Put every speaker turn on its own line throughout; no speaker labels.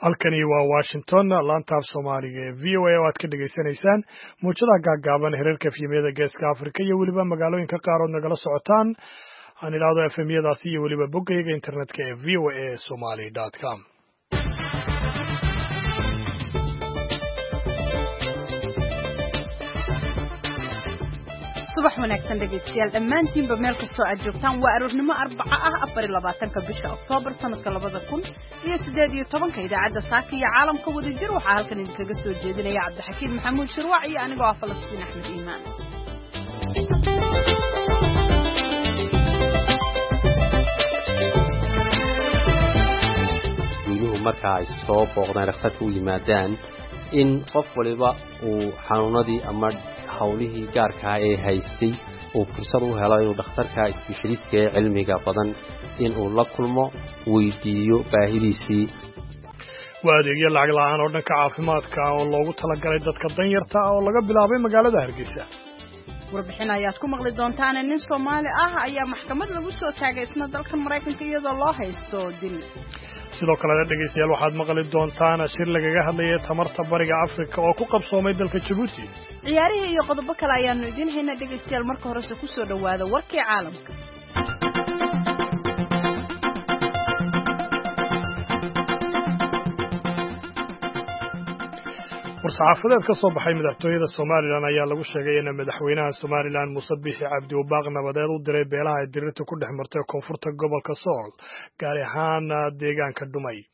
Halkani waa Washington, laanta af Soomaaliga ee VOA oo aad ka dhegaysanaysaan muujadaha gaaggaaban, heerarka FM-yada Geeska Afrika iyo weliba magaalooyinka qaar ood nagala socotaan, aan idhaahdo FM-yadaasi, iyo weliba boggayga internetka ee voasomali.com.
Subax wanaagsan dhegaystayaal dhammaantiinba, meel kastoo aad joogtaan. Waa aroornimo Arbaco ah, 24-ka bisha Oktoobar, sanadka 2018-ka. Idaacadda Saaka iyo Caalamka wadajir waxaa halkan idinkaga soo jeedinaya Cabdixakiin Maxamuud Shirwac iyo anigoo ah Falastiin Axmed Iimaan.
Guyuhu marka ay soo booqdaan, dhakhtarka u yimaadaan, in qof waliba uu xanuunadii ama hawlihii gaarkaa ee haystay uu fursad u helo inuu dhakhtarka isbeshaliistka ee cilmiga badan inuu la kulmo, weydiiyo baahidiisii.
Waa adeegyo lacag la'aan oo dhanka caafimaadka oo loogu talagalay dadka danyarta ah oo laga bilaabay magaalada Hargeysa.
Warbixin ayaad ku maqli doontaane, nin Soomaali ah ayaa maxkamad lagu soo taagay isna dalka Maraykanka, iyadoo loo haysto dil.
Sidoo kalena dhegaystayaal, waxaad maqli doontaan shir lagaga hadlayay tamarta Bariga Afrika oo ku qabsoomay dalka Jabuuti.
Ciyaarihii iyo qodobo kale ayaanu idiin haynaa dhegaystayaal. Marka horese kusoo dhowaada warkii caalamka.
War-saxaafadeed ka soo baxay madaxtooyada Somalilan ayaa lagu sheegay in madaxweynaha Somalilan Muuse Biixi Cabdi uu baaq nabadeed u diray beelaha ay dirirta ku dhex martay koonfurta gobolka Sool, gaar ahaan deegaanka Dhumay.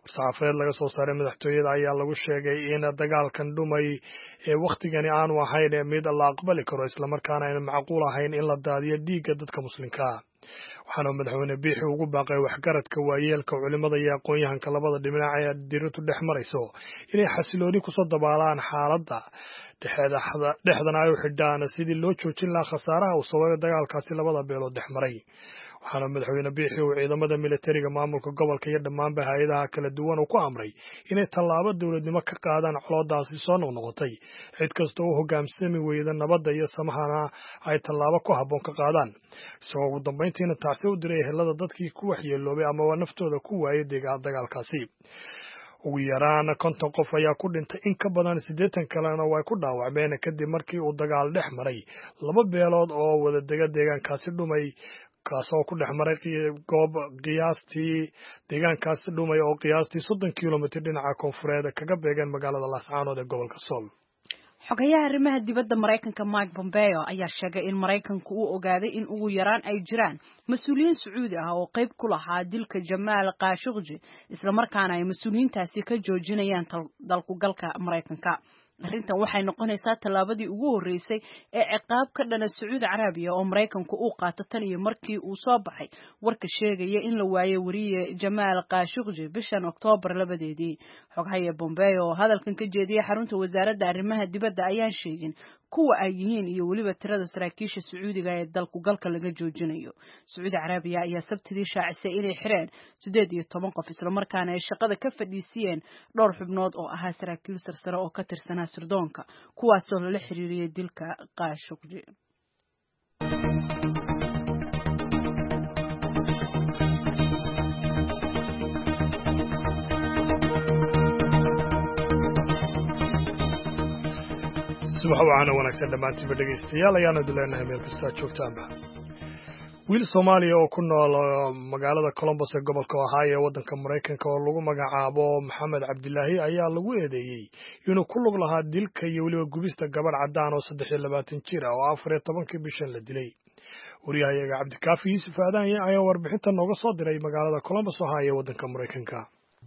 War-saxaafadeed laga soo saaray madaxtooyada ayaa lagu sheegay in dagaalkan Dhumay ee wakhtigani aanu ahayn mid la aqbali karo, islamarkaana ayna macquul ahayn in la daadiyo dhiigga dadka muslimkaa. Waxaana madaxweyne Biixi ugu baaqay waxgaradka, waayeelka, culimada iyo aqoon-yahanka labada dhinac ee dirirtu dhex marayso inay xasilooni kusoo dabaalaan xaaladda, dhexdana ay u xidhaan sidii loo joojin lahaa khasaaraha uu sababay dagaalkaasi labada beelood dhex maray. Waxaana madaxweyne Biixi uu ciidamada militariga, maamulka gobolka iyo dhammaanba hay-adaha kala duwan uu ku amray inay tallaabo dowladnimo ka qaadaan coloodaasi soo noqnoqotay, cid kasta u hoggaansami weyda nabadda iyo samahana ay tallaabo ku habboon ka qaadaan, isagoo ugu dambayntiina tacsi u diray ehelada dadkii ku waxyeeloobay amaba naftooda ku waayay dagaalkaasi. Ugu yaraan 50 qof ayaa ku dhintay, in ka badan 80 kalena way ku dhaawacmeen kadib markii uu dagaal dhex maray laba beelood oo wadadega deegaankaasi Dhumay, kaasoo ku dhex maray goob qiyaastii deegaankaasi Dhumay oo qiyaastii 30 kilomitir dhinaca koonfureed kaga beegan magaalada Laascaanood ee gobolka Sool.
Xogayaha arrimaha dibadda Maraykanka Mike Pompeo ayaa sheegay in Maraykanku uu ogaaday in ugu yaraan ay jiraan mas-uuliyiin Sacuudi ah oo qayb ku lahaa dilka Jamaal Khashoggi, islamarkaana ay mas-uuliyiintaasi ka joojinayaan dalkugalka Maraykanka. Arrintan waxay noqonaysaa tallaabadii ugu horreysay ee ciqaab ka dhana Sacuudi Carabiya oo Maraykanku uu qaato tan iyo markii uu soo baxay warka sheegaya in la waayay wariye Jamaal Khashoggi bishan Oktoobar 2-deedii. Xoghaya Pompeo oo hadalkan ka jeediyay xarunta wasaaradda arrimaha dibadda ayaan sheegin kuwa ay yihiin iyo weliba tirada saraakiisha Sacuudiga ee dalkugalka laga joojinayo. Sacuudi Carabiya ayaa Sabtidii shaacisay inay xireen 18 qof, islamarkaana ay shaqada ka fadhiisiyeen dhowr xubnood oo ahaa saraakiil sarsare oo ka tirsanaa sirdoonka, kuwaasoo lala xiriiriyey dilka Khashoggi.
Subax wacaana wanaagsan dhammaantiinba dhegaystayaal ayaanu idin leenahay meel kastoo aad joogtaanba. Wiil Soomaaliya oo ku nool magaalada Columbus ee gobolka Ohio ee waddanka Maraykanka oo lagu magacaabo Maxamed Cabdilaahi ayaa lagu eedeeyey inuu ku lug lahaa dilka iyo weliba gubista gabadh caddaan oo 23 jir ah oo 14-kii bishan la dilay. Wariyahayaga Cabdikaafi Yuusuf Aadan ayaa warbixinta nooga soo diray magaalada Columbus, Ohio ee waddanka Maraykanka.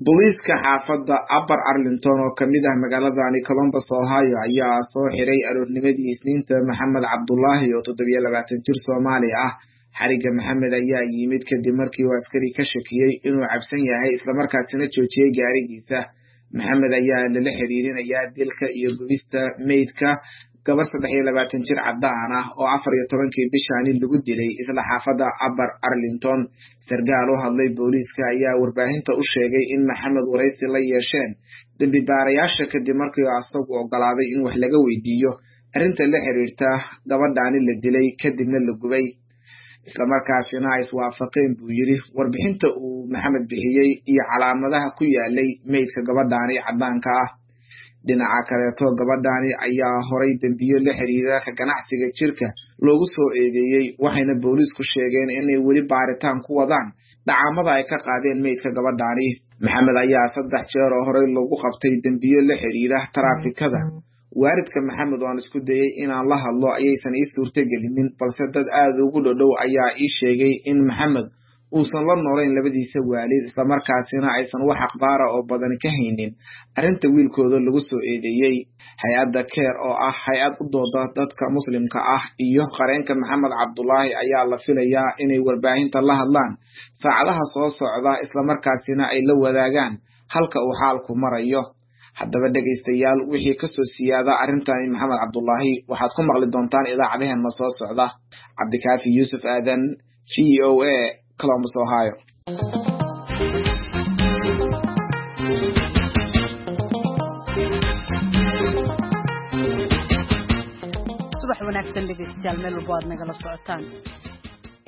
Booliiska xaafadda Upper Arlington oo kamid ah magaaladani Columbus, Ohio, ayaa soo xiray aroornimadii Isniinta Maxamed Cabdulaahi oo 27 jir Soomaali ah. Xariga Maxamed ayaa yimid kadib markii uu askari ka shakiyey inuu cabsan yahay, islamarkaasina joojiyey gaarigiisa. Maxamed ayaa lala xiriirinayaa dilka iyo gubista meydka gabar 23 jir caddaan ah oo 14-kii bishaani lagu dilay isla xaafadda Upper Arlington. Sarkaal u hadlay booliiska ayaa warbaahinta u sheegay in Maxamed waraysi la yeesheen dembi baarayaasha kadib markii asagu ogolaaday in wax laga weydiiyo arrinta la xiriirta gabadhaani la dilay kadibna la gubay. Islamarkaasina ay iswaafaqeen, buu yiri, warbixinta uu Maxamed bixiyey iyo calaamadaha ku yaalay meydka gabadhaani caddaanka ah. Dhinaca kaleeto, gabadhaani ayaa horay dembiyo la xiriira ka ganacsiga jirka loogu soo eedeeyey, waxayna booliisku sheegeen inay weli baaritaan ku wadaan dhacaamada ay ka qaadeen meydka gabadhaani. Maxamed ayaa 3 jeer oo horey lagu qabtay dembiyo la xiriira taraafikada. Waalidka Maxamed oo aan isku dayey inaan la hadlo ayaysan ii suurtagelinin, balse dad aada ugu dhodhow ayaa ii sheegay in Maxamed uusan la noolayn labadiisa waalid, islamarkaasina aysan wax akhbaara oo badan ka haynin arrinta wiilkooda lagu soo eedeeyey. Hay-adda Keer oo ah hay-ad u dooda dadka muslimka ah iyo qareenka Maxamed Cabdulaahi ayaa la filayaa inay warbaahinta la hadlaan saacadaha soo socda, islamarkaasina ay la wadaagaan halka uu xaalku marayo. Haddaba dhegaystayaal, wixii kasoo siyaada arrintani Maxamed Cabdulaahi waxaad ku maqli doontaan idaacadaheenna soo socda. Cabdikaafi Yuusuf Aadan, VOA, Columbus, Ohio.
Subax wanaagsan dhegaystayaal, meel walbo aad nagala socotaan.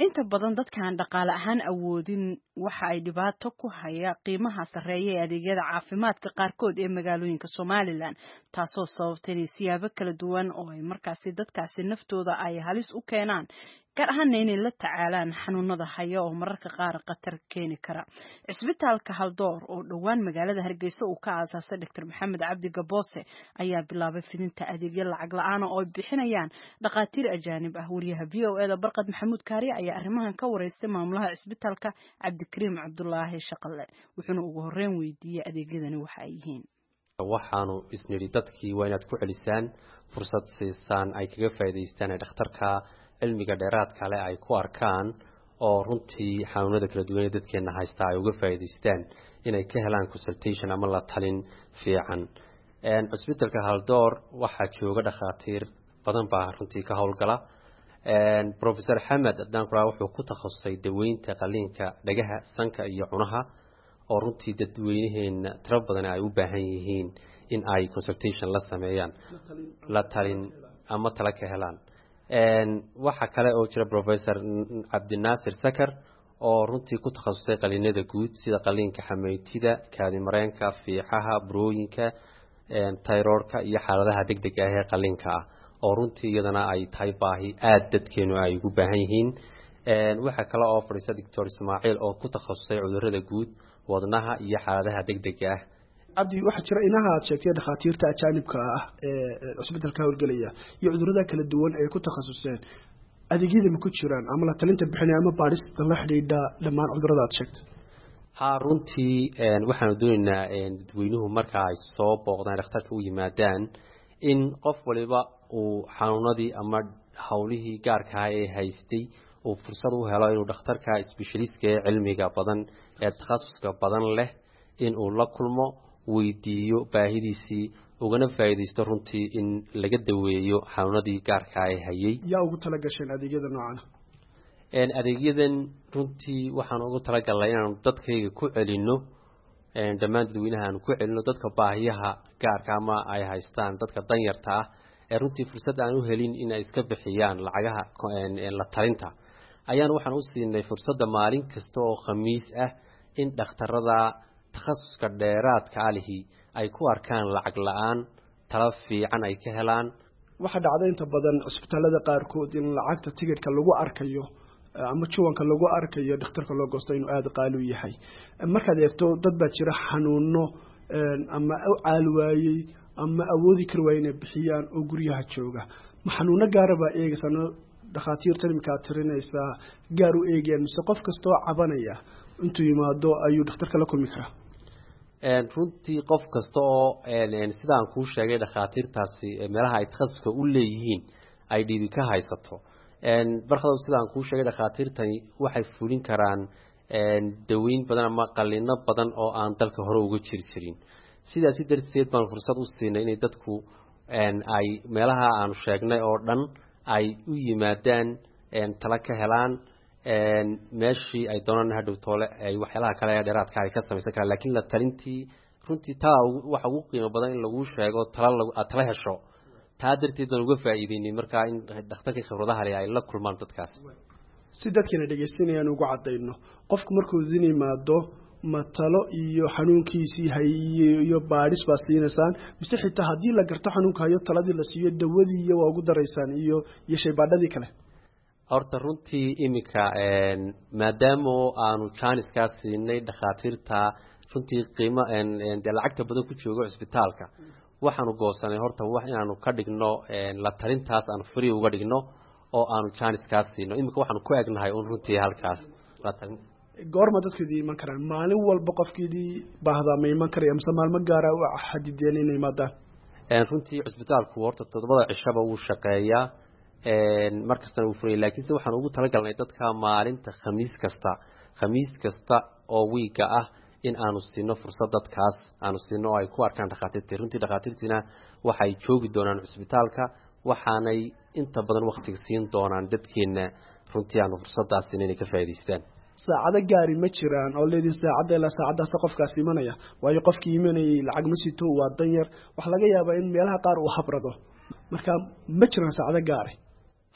Inta badan dadkaan dhaqaale ahaan awoodin waxa ay dhibaato ku haya qiimaha sarreeya ee adeegyada caafimaadka qaarkood ee magaalooyinka Somalilan, taasoo sababtay inay siyaabo kala duwan oo ay markaasi dadkaasi naftooda ay halis u keenaan, gaar ahaana inay la tacaalaan xanuunada haya oo mararka qaar khatar keeni kara. Cisbitaalka Haldoor oo dhowaan magaalada Hargeysa uu ka aasaasay Dr. Maxamed Cabdi Gaboose ayaa bilaabay fidinta adeegyo lacag la-aan oo ay bixinayaan dhakhaatiir ajaanib ah. Wariyaha VOA da Barqad Maxamuud Kaariye ayaa arrimahan ka wareystay maamulaha cisbitaalka, Cabdikariim Cabdulaahi Shaqale, wuxuuna ugu horreyn weydiiyey adeegyadani waxa ay yihiin.
Waxaanu isnidhi dadkii waa inaad ku celisaan, fursad siisaan ay kaga faa'iidaystaan ee dhakhtarka cilmiga dheeraadka leh ay ku arkaan, oo runtii xanuunada kala duwan ee dadkeena haysta ay uga faa'iidaystaan inay ka helaan consultation ama la talin fiican. Cusbitalka Haldoor waxaa jooga dhakhaatiir badan baa runtii ka howlgala. Professor Xamed haddaan kuraa, wuxuu ku takhasusay daweynta qaliinka dhagaha, sanka iyo cunaha, oo runtii dadweynaheena tiro badan ay u baahan yihiin in ay consultation la sameeyaan, la talin ama tala ka helaan. Waxaa kale oo jira Professor Cabdinaasir Sakar oo runtii ku takhasusay qaliinada guud, sida qaliinka xameytida, kaadimareenka, fiixaha, burooyinka, tayroorka iyo xaaladaha degdega ah ee qaliinka ah, oo runtii iyadana ay tahay baahi aada dadkeenu ay ugu baahan yihiin. Waxaa kale oo fadhiista Doctor Ismaaciil oo ku takhasusay cudurada guud, wadnaha iyo xaaladaha degdega ah.
Cabdi, waxaa jira inaha aad sheegtay dhakhaatiirta ajaanibka ah ee cusbitalka howlgelaya iyo cudurada kala duwan ay ku takhasuseen, adeegyada ma ku jiraan ama la talinta bixinaya ama baadhista la xidhiidha dhammaan cudurada aad sheegtay?
Ha, runtii waxaanu doonaynaa dadweynuhu marka ay soo booqdaan, dhakhtarka u yimaadaan, in qof waliba uu xanuunadii ama howlihii gaarkaha ee haystay uu fursad u helo inuu dhakhtarka specialistka ee cilmiga badan ee takhasuska badan leh in uu la kulmo, weydiiyo baahidiisii, ugana faa'iidaysto runtii in laga daweeyo xanuunadii gaarkaa ee hayay.
Yaa ugu tala gasheen adeegyada noocana?
Adeegyadan runtii waxaan ugu talagalnay inaanu dadkayga ku celino, dhammaan dadweynaha aanu ku celino, dadka baahiyaha gaarka ama ay haystaan, dadka danyarta ah ee runtii fursad aan u helin in ay iska bixiyaan lacagaha la talinta, ayaan waxaan u siinay fursadda maalin kasta oo Khamiis ah in dhakhtarada takhasuska dheeraadka alihi ay ku arkaan lacag la-aan, tala fiican ay ka helaan.
Waxaa dhacda inta badan cusbitaalada qaarkood in lacagta tigidhka lagu arkayo ama juwanka lagu arkayo dhakhtarka loo goosto inuu aada qaali u yahay. Markaad eegto, dad baa jira xanuuno ama u caali waayey ama awoodi kari waayey inay bixiyaan oo guryaha jooga. Ma xanuuno gaara baa eegaysaa no dhakhaatiirtan iminka aad tirinaysaa gaar u eegayaan, mise qof kastoo cabanaya intuu yimaado ayuu dhakhtarka la kulmi karaa?
Runtii qof kasta oo, sidaan kuu sheegay, dhakhaatiirtaasi meelaha ay takhasuska u leeyihiin ay dhiibi ka haysato. Barkadow, sidaan kuu sheegay, dhakhaatiirtani waxay fulin karaan daweyn badan ama qalino badan oo aan dalka hore uga jiri jirin. Sidaasi darteed baan fursad u siinay inay dadku ay meelaha aanu sheegnay oo dhan ay u yimaadaan, tala ka helaan, meeshii ay doonaan hadhow toole ay waxyaalaha kale ee dheeraadka ay ka samaysan karaan. Laakiin la talintii runtii taa waxa ugu qiimo badan in laguu sheego tala aad tala hesho. Taa darteed baan uga faa'iideynay markaa in dhakhtarkii khibradaha leh ay la kulmaan dadkaas.
Si dadkana dhegaystanayaan ugu caddayno, qofku markuu idin yimaado ma talo iyo xanuunkiisii hay iyo baadhis baa siinaysaan, mise xitaa haddii la garto xanuunka hayo taladii la siiyo dawadii iyo waa ugu daraysaan iyo shaybaadhadii kale?
Horta runtii iminka maadaama aanu jaaniskaa siinay dhakhaatiirta runtii qiimo dee lacagta badan ku joogo cisbitaalka, waxaanu goosanay horta wax inaanu ka dhigno la talintaas aanu free uga dhigno oo aanu jaaniskaa siino. Iminka waxaanu ku egnahay un runtii halkaas la talin.
Goorma dadku idin iman karaan? Maalin walba qofkiidii baahdaa ma iman karaya, mise maalmo gaara u xadideen inay imaadaan?
Runtii cisbitaalku horta 7da cishaba wuu shaqeeyaa, mar kastana wuu furaya, laakiinse waxaan ugu talagalnay dadka maalinta khamiis kasta, khamiis kasta oo wiiga ah in aanu siino fursad dadkaas aanu siino oo ay ku arkaan dhakhaatiirtii. Runtii dhakhaatiirtiina waxay joogi doonaan cisbitaalka, waxaanay inta badan waktiga siin doonaan dadkeena runtii aanu fursadaas siino inay ka faa'idaystaan.
Saacado gaari ma jiraan oo leedin saacadda ilaa saacaddaasa qofkaas imanaya? Waayo qofkii imanayay lacag ma sito, waa danyar, waxaa laga yaabaa in meelaha qaar uu habrado. Marka ma jiraan saacado gaari?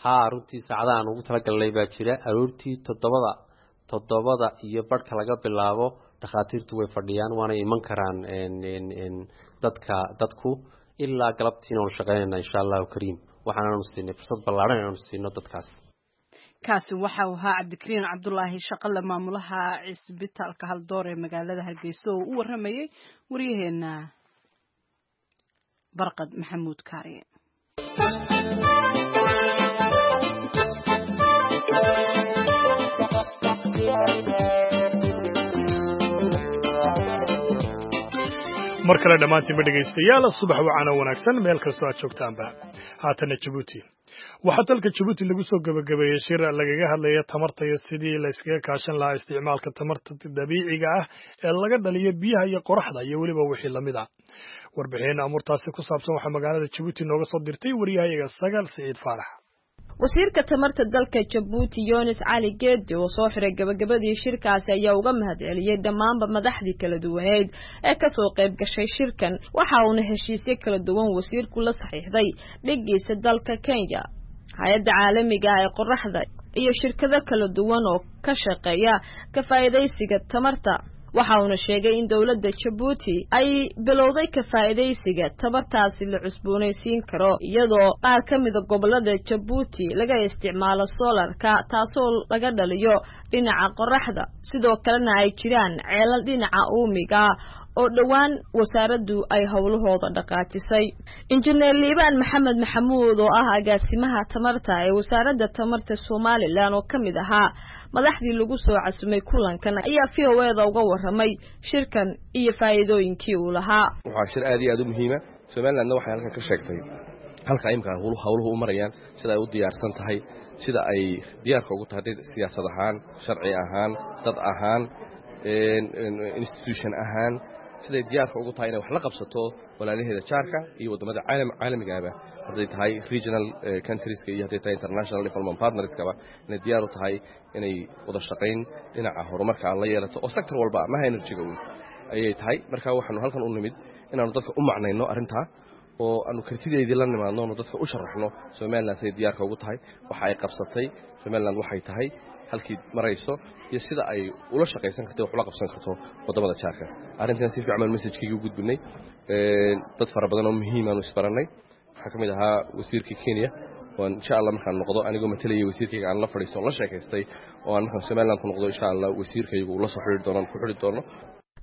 Haa, runtii saacadaha aan ugu talagalnay baa jira. Aroortii 7:30 iyo barhka laga bilaabo dhakhaatiirtu way fadhiyaan, waana iman karaan dadka dadku ilaa galabtiina waanu shaqeynayna insha Allahu kariim. Waxaanaanu siinay fursad ballaaran inaanu siino dadkaas.
Kaasi waxa uu ahaa Cabdikariin Cabdulaahi Shaqale, maamulaha cisbitaalka Haldoor ee magaalada Hargeysa, oo u waramayay waryaheena Barqad Maxamuud Kaariye.
Mar kale dhammaantiinba dhegaystayaal, subax wacana wanaagsan meel kastoo aad joogtaanba. Haatana Jabuuti. Waxaa dalka Jabuuti lagu soo gebagabeeyey shir lagaga hadlaya tamarta iyo sidii la iskaga kaashan lahaa isticmaalka tamarta dabiiciga ah ee laga dhaliyo biyaha iyo qoraxda iyo weliba wixii lamid ah. Warbixin amuurtaasi ku saabsan waxaa magaalada Jabuuti nooga soo dirtay wariyahayaga Sagaal Siciid Faarax.
Wasiirka tamarta dalka Jabuuti Yunis Cali Geedi oo soo xiray gabagabadii shirkaasi ayaa uga mahadceliyey dhammaanba madaxdii kala duwaneed ee kasoo qayb gashay shirkan. Waxa uuna heshiisyo kala duwan wasiirku la saxiixday dhigiisa dalka Kenya, hay-adda caalamiga ah ee qoraxda iyo shirkado kala duwan oo ka shaqeeya ka faa'iidaysiga tamarta. Waxa uuna sheegay in dowladda Jabuuti ay bilowday ka faa'iidaysiga tamartaasi la cusboonaysiin karo, iyadoo qaar ka mida gobollada Jabuuti laga isticmaalo soolarka, taasoo laga dhaliyo dhinaca qoraxda, sidoo kalena ay jiraan ceelal dhinaca uumiga oo dhowaan wasaaraddu ay howlahooda dhaqaajisay. Injineer Liibaan Maxamed Maxamuud oo ah agaasimaha tamarta ee wasaaradda tamarta Somalilan oo ka mid ahaa madaxdii lagu soo casumay kulankan ayaa v o e da uga warramay shirkan iyo faa'iidooyinkii uu lahaa.
Waxaa shir aad iyo aad u muhiima. Somalilandna waxay halkan ka sheegtay halka imika howluhu u marayaan, sida ay u diyaarsan tahay, sida ay diyaarka ugu tahay siyaasad ahaan, sharci ahaan, dad ahaan, institution ahaan, siday diyaarka ugu tahay inay wax la qabsato walaalaheeda jaarka iyo waddamada caalamigaaba, hadday tahay regional countrieska iyo hadday tahay international development partnerskaba, inay diyaar u tahay inay wada shaqayn dhinaca horumarka aan la yeelato oo sector walba maha energy-ga uun ayay tahay. Marka waxaanu halkan u nimid inaanu dadka u macnayno arrintaa oo aanu kartideedii la nimaadno, aanu dadka u sharaxno Somaliland siday diyaarka ugu tahay, waxa ay qabsatay Somaliland, waxay tahay halkii marayso iyo sida ay ula shaqaysan karto, wax ula qabsan karto waddamada jaarka. Arrintan si fiican baan message-kayga u gudbinay. Dad fara badan oo muhiim aanu isbarannay. Waxaa ka mid ahaa wasiirka Kenya waan insha Allah markaan noqdo anigoo matalayay wasiirkayga aan la fadhiisto la sheekaystay, oo aan markaan Somaliland ku noqdo insha Allah wasiirkaygu uu la soo xidhiiri doono, ku xidhi doono.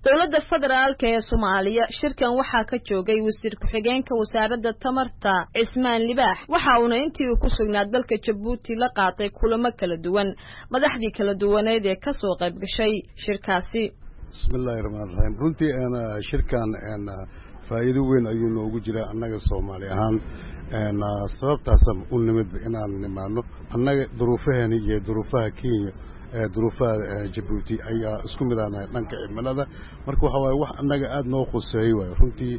Dowladda federaalka ee Soomaaliya shirkan waxaa ka joogay wasiir ku-xigeenka wasaaradda tamarta Cismaan Libaax. Waxa uuna intii uu ku sugnaa dalka Jabuuti la qaatay kulamo kala duwan madaxdii kala duwaneed ee kasoo qayb gashay shirkaasi.
Bismillahi raxmaan raxiim. Runtii shirkan faa'iido weyn ayuu noogu jiraa annaga Soomaali ahaan. Sababtaasa u nimidba inaan nimaano annaga duruufaheena iyo duruufaha Kenya, duruufaha Jabuuti ayaa isku mid aanahay dhanka cimilada. Marka waxa waaye wax annaga aada noo khuseeyey waayo. Runtii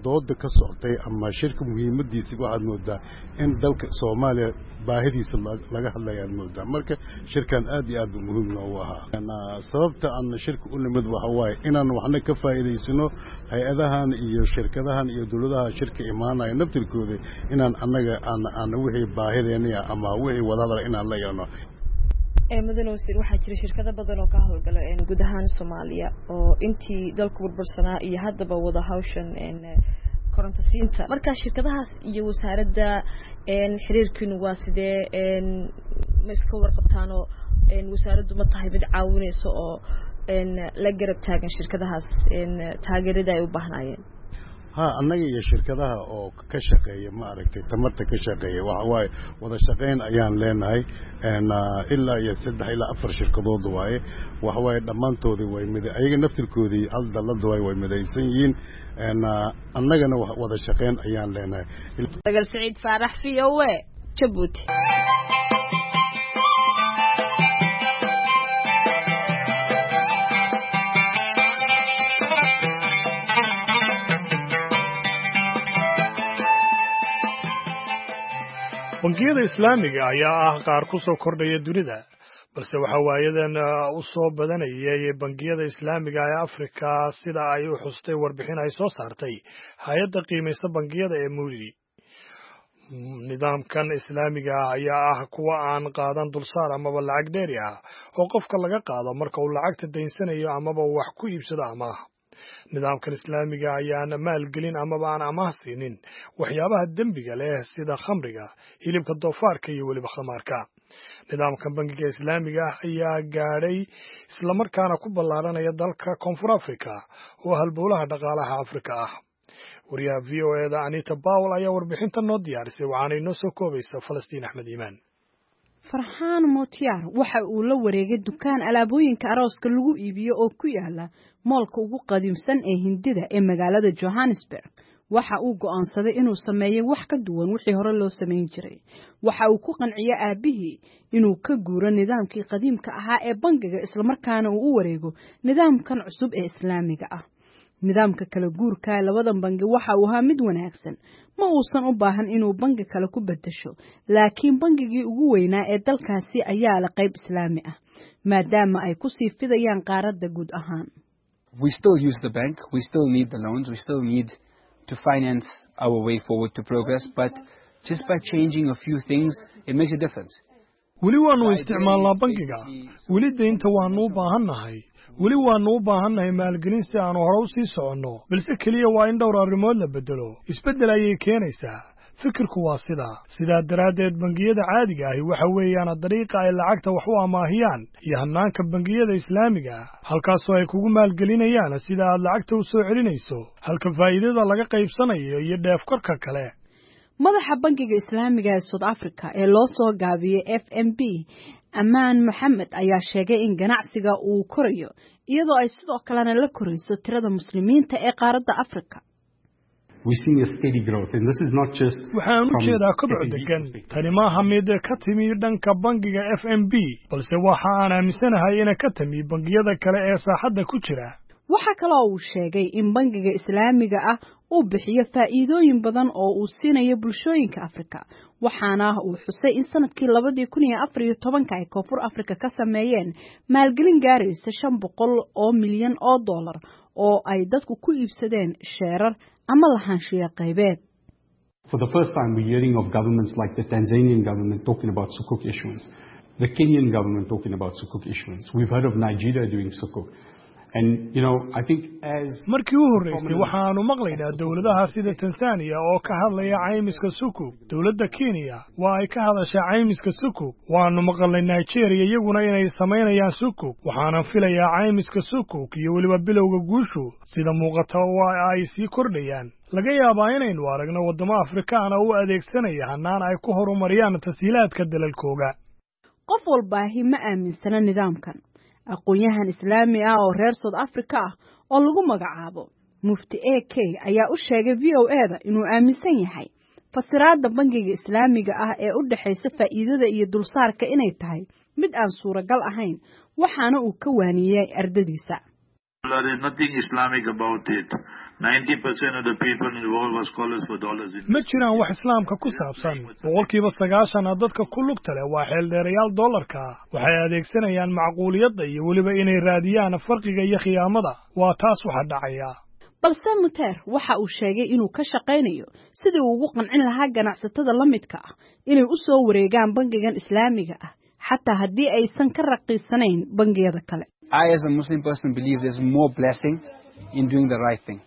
dooda ka socotay ama shirka muhiimadiisa waxaad moodaa in dalka Soomaaliya baahidiisa laga hadlaya aad moodaa. Marka shirkan aad iyo aad buu muhiim noogu ahaa. Sababta aan shirka u nimid waxa waaye inaan waxna ka faa'iidaysano hay-adahan iyo shirkadahan iyo dowladaha shirka imaanaya naftirkooda, inaan annaga aan wixii baahideena ama wixii wadahadal inaan la yeelno.
Mudane wasiir, waxaa jira shirkado badan oo ka howlgala guud ahaan Soomaaliya oo intii dalku burbursanaa iyo haddaba wada hawshan koronto siinta. Marka shirkadahaas iyo wasaaradda xiriirkiinu waa sidee? Ma iska warqabtaanoo wasaaraddu ma tahay mid caawinaysa oo la garab taagan shirkadahaas taageerada ay u baahnaayeen?
Ha, annaga iyo shirkadaha oo ka shaqeeya, ma aragtay, tamarta ka shaqeeya, waxa waaye wada shaqayn ayaan leenahay. Ilaa iyo 3 ilaa 4 shirkadood waaye. Waxa waaye dhammaantoodii way mid, ayaga naftirkoodii hal dallad waaye, way midaysan yihiin. Annagana wada shaqayn ayaan leenahay.
Sagal Siciid Faarax, VOA, Jabuuti.
Bangiyada Islaamiga ayaa ah qaar ku soo kordhaya dunida, balse waxaa waayadan u soo badanayay bangiyada Islaamiga ee Afrika, sida ay u xustay warbixin ay soo saartay hay'adda qiimaysa bangiyada ee Moody. Nidaamkan Islaamiga ah ayaa ah kuwa aan qaadan dulsaar amaba lacag dheeri ah oo qofka laga qaado marka uu lacagta daynsanayo amaba wax ku iibsado amaah. Nidaamkan Islaamiga ayaan maalgelin amaba aan amaah siinin waxyaabaha dembiga leh sida khamriga, hilibka doofaarka iyo weliba khamaarka. Nidaamkan bangiga Islaamiga ah ayaa gaadhay islamarkaana ku ballaaranaya dalka Koonfur Afrika oo halbowlaha dhaqaalaha Afrika ah. Wariyaha VOA-da Anita Powell ayaa warbixinta noo diyaarisay, waxaana inoo soo koobaysa Falastiin Axmed Iimaan.
Farxaan Motiyaar waxa uu la wareegay dukaan alaabooyinka arooska lagu iibiyo oo ku yaala moolka ugu qadiimsan ee Hindida ee magaalada Johannesburg. Waxa uu go'aansaday inuu sameeyo wax ka duwan wixii hore loo samayn jiray. Waxa uu ku qanciyay aabbihii inuu ka guuro nidaamkii qadiimka ahaa ee bangiga, islamarkaana uu u wareego nidaamkan cusub ee Islaamiga ah. Nidaamka kala guurka labadan bangi waxa uu ahaa mid wanaagsan. Ma uusan u baahan inuu bangi kale ku beddesho, laakiin bangigii ugu weynaa ee dalkaasi ayaa leh qayb Islaami ah, maadaama ay ku sii fidayaan qaaradda guud ahaan.
We still use the bank, we still need the loans, we still need to finance our way forward to progress, but just by changing a few things, it makes a difference.
Weli waannu isticmaalnaa bangiga, weli deynta waannu u baahannahay, weli waannu u baahannahay maalgelin si aanu hore u sii soconno, balse keliya waa in dhowr arrimood la beddelo. Isbeddel ayay keenaysaa. Fikirku waa sidaa. Sidaa daraaddeed, bangiyada caadiga ahi waxa weeyaan dariiqa ay lacagta wax u amaahiyaan iyo hannaanka bangiyada Islaamiga ah, halkaasoo ay kugu maalgelinayaan sida aad lacagta u soo celinayso, halka faa'iidada laga qaybsanayo iyo dheef korka kale.
Madaxa bangiga Islaamiga ee South Africa ee loo soo gaabiyey FNB, Amaan Maxamed, ayaa sheegay in ganacsiga uu korayo, iyadoo ay sidoo kalena la korayso tirada Muslimiinta ee qaaradda Afrika.
Waxaan u jeedaa koboc degan. Tani maaha mid ka timi dhanka bangiga FNB, balse waxa aan aaminsanahay ina ka timi bangiyada kale ee saaxadda ku jira.
Waxaa kaloo uu sheegay in bangiga Islaamiga ah uu bixiyo faa'iidooyin badan oo uu siinayo bulshooyinka Afrika, waxaana uu xusay in sanadkii 2014-ka ay Koonfur Afrika ka sameeyeen maalgelin gaaraysa $500 milyan oo ay dadku ku iibsadeen sheerar ama lahaanshiya qaybeed.
For the first time, we're hearing of governments like the Tanzanian government talking about sukuk issuance, the Kenyan government talking about sukuk issuance. We've heard of Nigeria doing sukuk. And, you know, I think as
Markii u horreysay waxaannu maqlaynaa dowladaha sida Tanzaniya oo ka hadlaya caymiska sukuk. Dowladda Kenya waa ay ka hadashaa caymiska sukuk. Waannu maqalnay Nigeria iyaguna inay samaynayaan sukuk. Waxaanan filayaa caymiska sukuk iyo weliba bilowga guushu sida muuqata waa ay sii kordhayaan. Laga yaabaa inaynu aragno waddamo Afrikaana u adeegsanaya hannaan ay ku horumariyaan tashiilaadka dalalkooga.
Qof walbaahi ma aaminsana nidaamkan. Aqoon-yahan Islaami ah oo reer South Africa ah oo lagu magacaabo Mufti A K ayaa u sheegay VOA-da inuu aaminsan yahay fasiraadda bangiga Islaamiga ah ee u dhexaysa faa'iidada iyo dulsaarka inay tahay mid aan suuragal ahayn, waxaana uu ka waaniyey ardadiisa.
There is nothing Islamic about it. 90% of the people involved were scholars for dollars.
Ma jiraan wax Islaamka ku saabsan. 90% dadka ku lugta leh waa xeeldheerayaal dollarka. Waxay adeegsanayaan macquuliyadda iyo weliba inay raadiyaan farqiga iyo khiyaamada. Waa taas waxa dhacaya.
Balse Muteer waxa uu sheegay inuu ka shaqaynayo sidii uu ugu qancin lahaa ganacsatada la midka ah inay u soo wareegaan bangigan Islaamiga ah, Xataa haddii aysan ka raqiisanayn bangiyada kale.
I, as a Muslim person, believe there's more blessing in doing the right thing.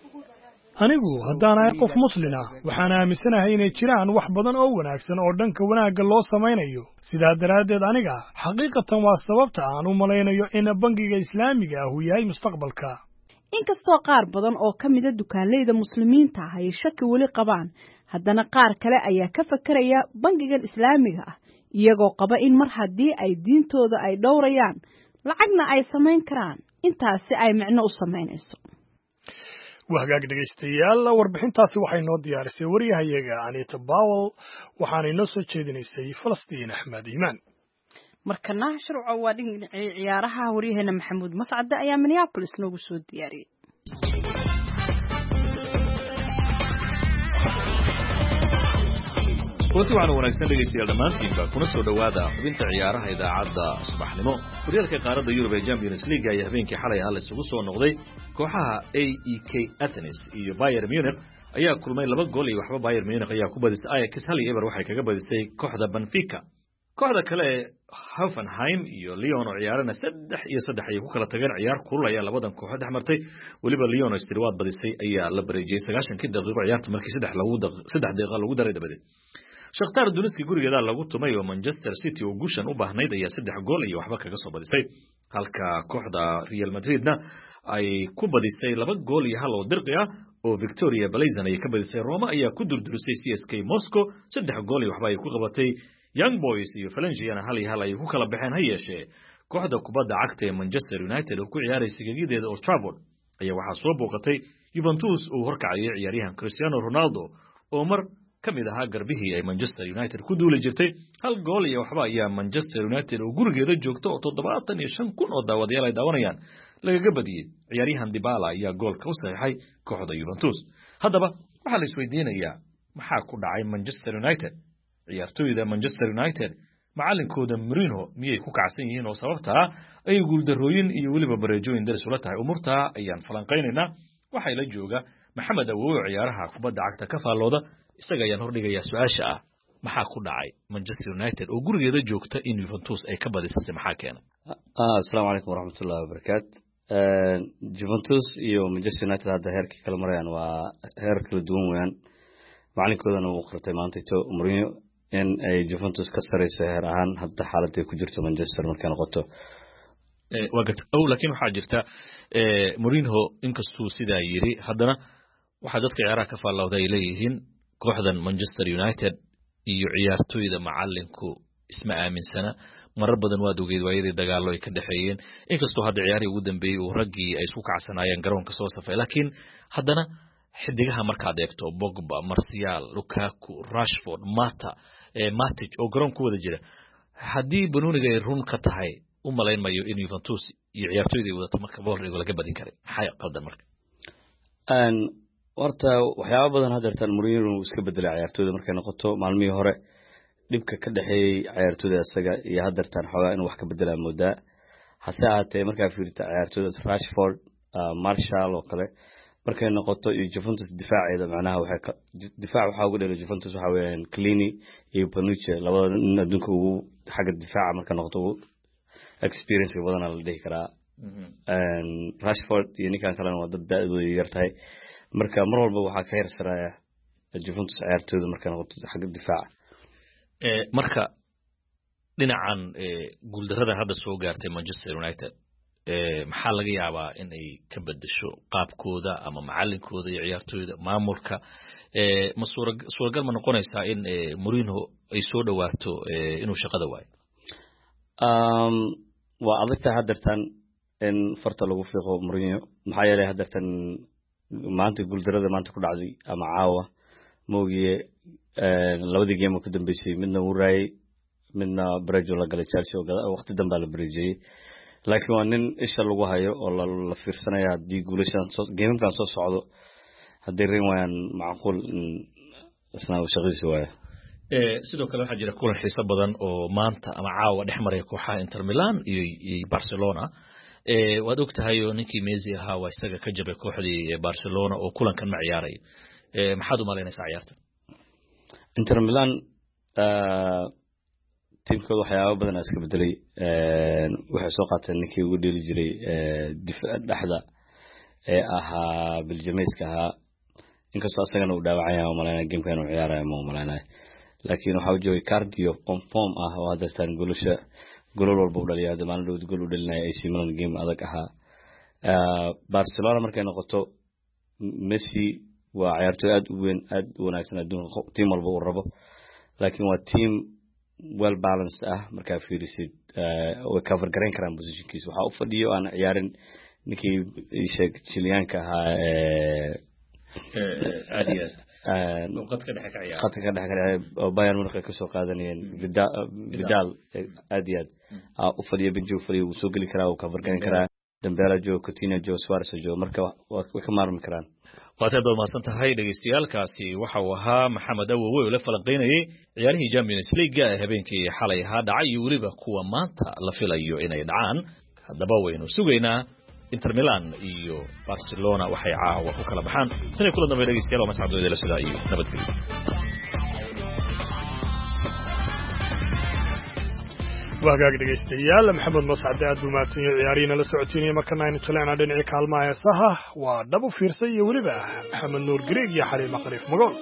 Anigu haddaan ahay qof muslin ah, waxaan aaminsanahay inay jiraan wax badan oo wanaagsan oo dhanka wanaagga loo samaynayo. Sidaa daraaddeed, aniga xaqiiqatan waa sababta aan u malaynayo in bangiga Islaamiga ah uu yahay mustaqbalka.
Inkastoo qaar badan oo ka mida dukaanleyda Muslimiinta ah ay shaki weli qabaan, haddana qaar kale ayaa ka fakaraya bangigan Islaamiga ah, iyagoo qaba in mar haddii ay diintooda ay dhowrayaan, lacagna ay samayn karaan, intaasi ay micno u samaynayso.
Waa hagaag, dhegaystayaal, warbixintaasi waxay noo diyaarisay wariyahayaga Anita Powell, waxaana inoo soo jeedinaysay Falastiin Axmed Iimaan.
Markana Shirco, waa dhinacii ciyaaraha. Waryaheena Maxamuud Mascade ayaa Minneapolis noogu soo diyaariyey.
Kulanti waxaana wanaagsan, dhegaystayaal, dhammaantiinba kuna soo dhowaada xubinta ciyaaraha idaacadda subaxnimo. Horyaalka qaaradda Yurub ee Champions League ayaa habeenkii xalay ahaa la isugu soo noqday. Kooxaha AEK Athens iyo Bayern Munich ayaa kulmay. 2 gool iyo 0 Bayern Munich ayaa ku badisay. Ajax 1-0 waxay kaga badisay kooxda Benfica. Kooxda kale ee Hoffenheim iyo Lyon oo ciyaarana 3-3 ayay ku kala tageen. Ciyaar kulul ayaa labadan kooxood dhex martay. Weliba Lyon oo istiriwaad badisay ayaa la bareejiyey 90-kii daqiiqo ciyaarta markii 3 daqiiqo lagu daray dabadeed. Shakhtar Donetsk gurigeeda lagu tumay oo Manchester City oo guushan u baahnayd ayaa 3 gool iyo 0 kaga soo badisay, halka kooxda Real Madridna ay ku badisay 2 gool iyo 1 oo dirqi ah oo Victoria Plzen ayay ka badisay. Roma ayaa ku durdurisay CSK Moscow, 3 gool iyo 0 ay ku qabatay. Young Boys iyo Valenciana 1-1 ayay ku kala baxeen. Ha yeeshee, kooxda kubadda cagta ee Manchester United oo ku ciyaaraysa gegideeda Old Trafford ayaa waxaa soo booqatay Juventus uu horkacayay ciyaaryahan Cristiano Ronaldo oo mar ka mid ahaa garbihii ay Manchester United ku duuli jirtay. 1 gool iyo 0 ayaa Manchester United oo gurigeeda joogta oo 75,000 oo daawadayaal ay daawanayaan lagaga badiyey. Ciyaaryahan Dybala ayaa goolka u saxiixay kooxda Juventus. Haddaba waxaa la isweydiinayaa, maxaa ku dhacay Manchester United? Ciyaartoyda Manchester United, macalinkooda Mourinho miyay ku kacsan yihiin oo sababtaa ay guuldarrooyin iyo weliba bareejooyin daris ula tahay? Umuurtaa ayaan falanqaynaynaa. Waxaa ila jooga Maxamed Awowe, ciyaaraha kubadda cagta ka faallooda. Isaga ayaan hordhigayaa su-aasha ah, maxaa ku dhacay Manchester United oo gurigeeda joogta in Juventus ay ka badisase? Maxaa keenay?
Asalaamu calaykum waraxmatullahi wabarakaat. Juventus iyo Manchester United hadda heerkay kala marayaan waa heer kala duwan weeyaan. Macalinkoodana wuu qirtay maantayto Mourinho in ay Juventus ka sareyso heer ahaan hadda xaaladday ku jirto Manchester markay noqoto.
Waa garta ow, laakiin waxaa jirta Mourinho inkastuu sidaa yiri, haddana waxaa dadka ciyaaraha ka faallooda ay leeyihiin kooxdan Manchester United iyo ciyaartoyda macalinku isma aaminsana. Marar badan waad ogeyd waayadii dagaallo ay ka dhexeeyeen, inkastoo hadda ciyaarihii ugu dambeeyey uu raggii ay isku kacsanaayeen garoonka soo safay. Laakiin haddana xidigaha markaad eegto, Pogba, Martial, Lukaku, Rashford, Mata, Matic oo garoon ku wada jira, haddii banooniga ay run ka tahay, u malayn mayo in Juventus iyo ciyaartoyda ay wadato marka boolrigo laga badin karay. Maxaa qaldan marka?
Horta waxyaaba badan hadeertaan Mourinho uu iska bedelay ciyaartoyda markay noqoto. Maalmihii hore dhibka ka dhexeeyey ciyaartoyda isaga iyo hadeertaan xoogaa inuu wax ka bedelaa moodaa. Hase ahaatee, markaa fiirta ciyaartoydaas, Rashford, Martial oo kale markay noqoto iyo Juventus difaaceeda, macnaha waxay difaac waxaa ugu dheeray Juventus waxa weeyaan Chiellini iyo Bonucci, labada nin adduunka ugu xagga difaaca marka noqoto ugu experience badana la dhihi karaa. Rashford iyo ninkan kalena waa dad da-doodu yar tahay. Marka mar walba waxaa ka hersaraya Juventus ciyaartooyda markay noqoto xagga difaaca.
Marka dhinacan guuldarrada hadda soo gaartay Manchester United, maxaa laga yaabaa in ay ka bedesho qaabkooda ama macalinkooda iyo ciyaartooyda maamulka? Ma suuragal ma noqonaysaa in Mourinho ay soo dhowaato inuu shaqada waayo?
Waa adagtahay haddeertan in farta lagu fiiqo Mourinho, maxaa yeelay haddeertan maanta guuldarada maanta ku dhacday ama caawa moogiye, labadii game oo ka dambeysay midna wuu raayay, midna barejo la galay Chelsea oo waqti dambaa la bareejiyey. Laakiin waa nin isha lagu hayo oo la fiirsanaya. Haddii guulashan geemamkan soo socdo hadday reyn waayaan, macquul in isna uu shaqadiisa waayo.
Sidoo kale waxaa jira kulan xiiso badan oo maanta ama caawa dhex maraya kooxaha Inter Milan iyo Barcelona. Waad og tahay oo ninkii Messi ahaa waa isaga ka jabay kooxdii Barcelona oo kulankan ma ciyaarayo. Maxaad u malaynaysaa ciyaarta?
Inter Milan. Tiimkooda waxyaaba badan iska bedelay. Waxay soo qaateen ninkii ugu dheeli jiray dhexda ee ahaa Biljameyska ahaa, inkastoo asagana uu dhaawacaya umalaynaya, gameka inuu ciyaarayo ma umalaynaya, laakiin waxaa u joogay cardio on form ah oo haddeertaan golasha golol walba u dhaliya. Hadda maalin dhowd gol u dhalinaya AC Milan, game adag ahaa. Barcelona markay noqoto, Messi waa ciyaartoy aad u weyn, aad u wanaagsan, adduunka team walba uu rabo, laakiin waa team well balanced ah. Markaa fiirisid, way cover garayn karaan positionkiisa. Waxaa u fadhiyo aan ciyaarin ninkii sheeg Chiliyaanka ahaa.
Aad iyo aad qadka dhexe ka ciyaara.
Khadka ka dhexe ka ciyaara oo Bayern Munich ay kasoo qaadanayeen, Vidal, aad iyo aad u fadhiyo, benji u fadhiyo, wuu soo geli karaa, wuu cover garan karaa. Dembele joogo, Coutinho joogo, Suarez joogo, marka way ka maarmi karaan.
Waad aad baad mahadsan tahay dhegeystayaaalkaasi. Waxa uu ahaa Maxamed Awowe oo la falanqeynayay ciyaarihii Champions League ee habeenkii xalay ahaa dhacay iyo weliba kuwa maanta la filayo inay dhacaan. Haddaba waynu sugaynaa Inter Milan iyo Barcelona waxay caawa ku kala baxaan. Tan iyo kulan dambe dhegeystayaal, waa mascad la sidaa iyo nabadgelyo.
Wagaag dhegaystayaal, Maxamed Mascade aad buu mahadsan yahay ciyaarihiina la socodsiinaya. Markana aynu jaleecnaa dhinacii kaalmaha heesaha. Waa Dhab u Fiirsay iyo weliba Maxamed Nuur Gareeg iyo Xaliima Khaliif Magool.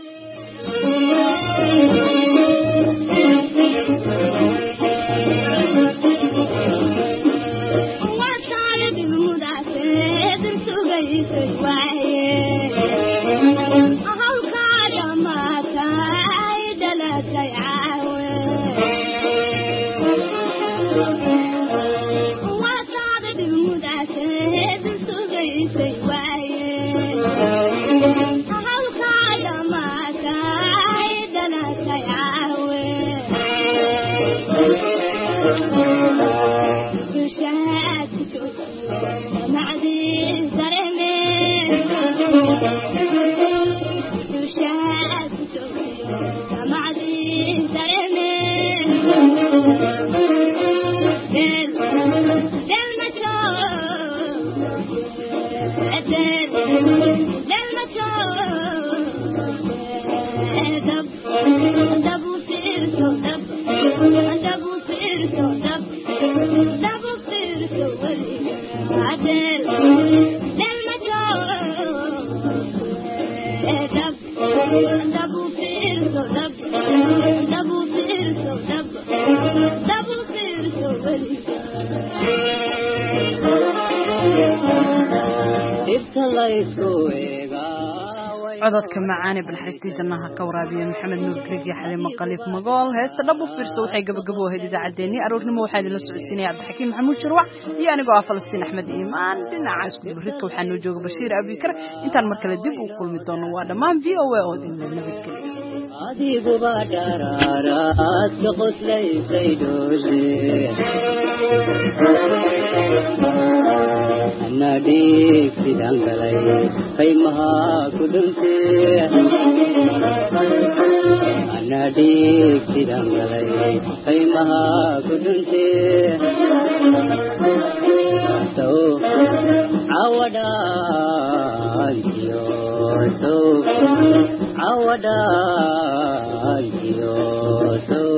Cododka macaane banaxariistii jannaha ka waraabiya Maxamed Nuur Greeg iyo Xaliimo Khaliif Magool. Heesta Dhab u Fiirso waxay gabagabo ahayd idaacaddeenii aroornimo. Waxaa idinla socodsiinaya Cabdixakiim Maxamuud Shirwac iyo anigoo ah Falastiin Axmed Iimaan. Dhinaca isku dubaridka waxaa noo jooga Bashiir Abikar. Intaan mar kale dib u kulmi doono, waa dhammaan VOA oo idinla nabadgelya.
Adiguba dharaaraadka qoslaysay dhoole, ana dhiig sidaan galay qaymaha ku dhuntee, ana dhiig sidaan galay qaymaha ku dhuntee, sow cawadhaantiyo, sow cawadhaantiyo, sow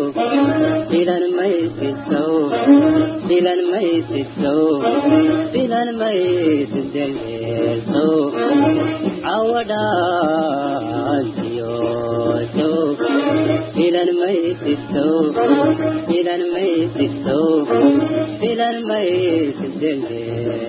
filan maysid, sow filan maysid, sow filan maysid dheldheel, sow cawadhaantiyo, sow filan maysid, sow filan maysid, sow filan maysid dheldheel.